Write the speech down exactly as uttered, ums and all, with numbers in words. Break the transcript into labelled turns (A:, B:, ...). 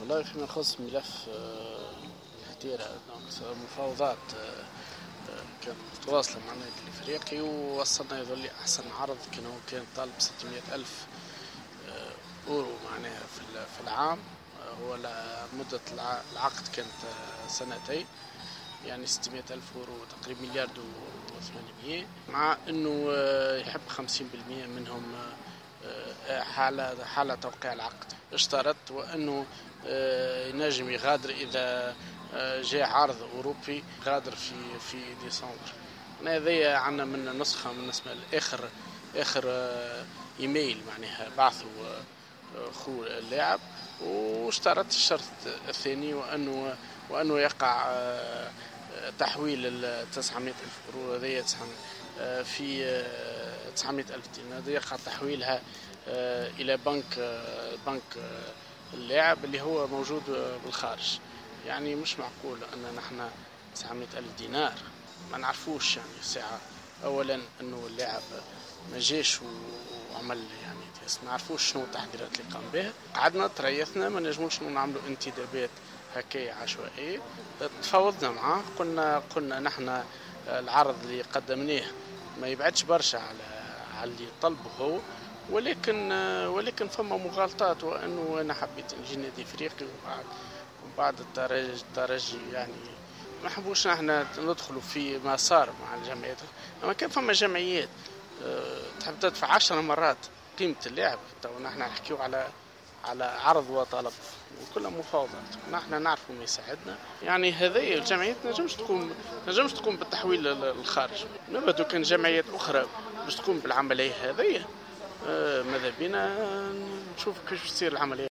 A: والله فيما يخص ملف الهتيرة، donc مفاوضات كانت متواصلة مع النادي الافريقي، ووصلنا يظل احسن عرض كان هو كان طالب ستمائة ألف اورو معناها في العام. هو مدة العقد كانت سنتين، يعني ستمائة ألف اورو تقريبا مليار وثمانمائة، مع انه يحب خمسين بالمئة منهم حالة حالة توقيع العقد. اشترط وانه ينجم يغادر اذا جاء عرض اوروبي، غادر في في ديسمبر. هذايا عندنا من نسخه بالنسبة لاخر اخر ايميل معناها بعثوا خو اللاعب، واشترط الشرط الثاني وانه وانه يقع تحويل ال تسعمائة ألف اورو هذيا في تسعمائة ألف دينار، يقع تحويلها الى بنك بنك اللاعب اللي هو موجود بالخارج. يعني مش معقول ان نحن تسعمائة ألف دينار ما نعرفوش، يعني ساعة اولا انه اللاعب ما جاش وعمل يعني ما نعرفوش شنو التحضيرات اللي قام بها. قعدنا تريثنا، ما نجموش نعملوا انتدابات هكايا عشوائية. تفاوضنا معاه، قلنا قلنا نحن العرض اللي قدمناه ما يبعدش برشا على على اللي طلبه هو، ولكن ولكن فما مغالطات، وانه انا حبيت نجي نادي افريقي وبعد وبعد الترجي الترجي يعني ما حبوش نحن ندخلوا في ما صار مع الجمعيات. اما كان فما جمعيات تحب تدفع عشر مرات قيمة اللاعب، تو نحن نحكيو على على عرض وطلب وكلها مفاوضات، نحن نعرفوا ما يساعدنا. يعني هذه الجمعيات نجمش تقوم نجمش تقوم بالتحويل للخارج. نبدو كان جمعيات اخرى باش تقوم بالعملية هذه، ماذا بينا نشوف كيفاش تصير العملية.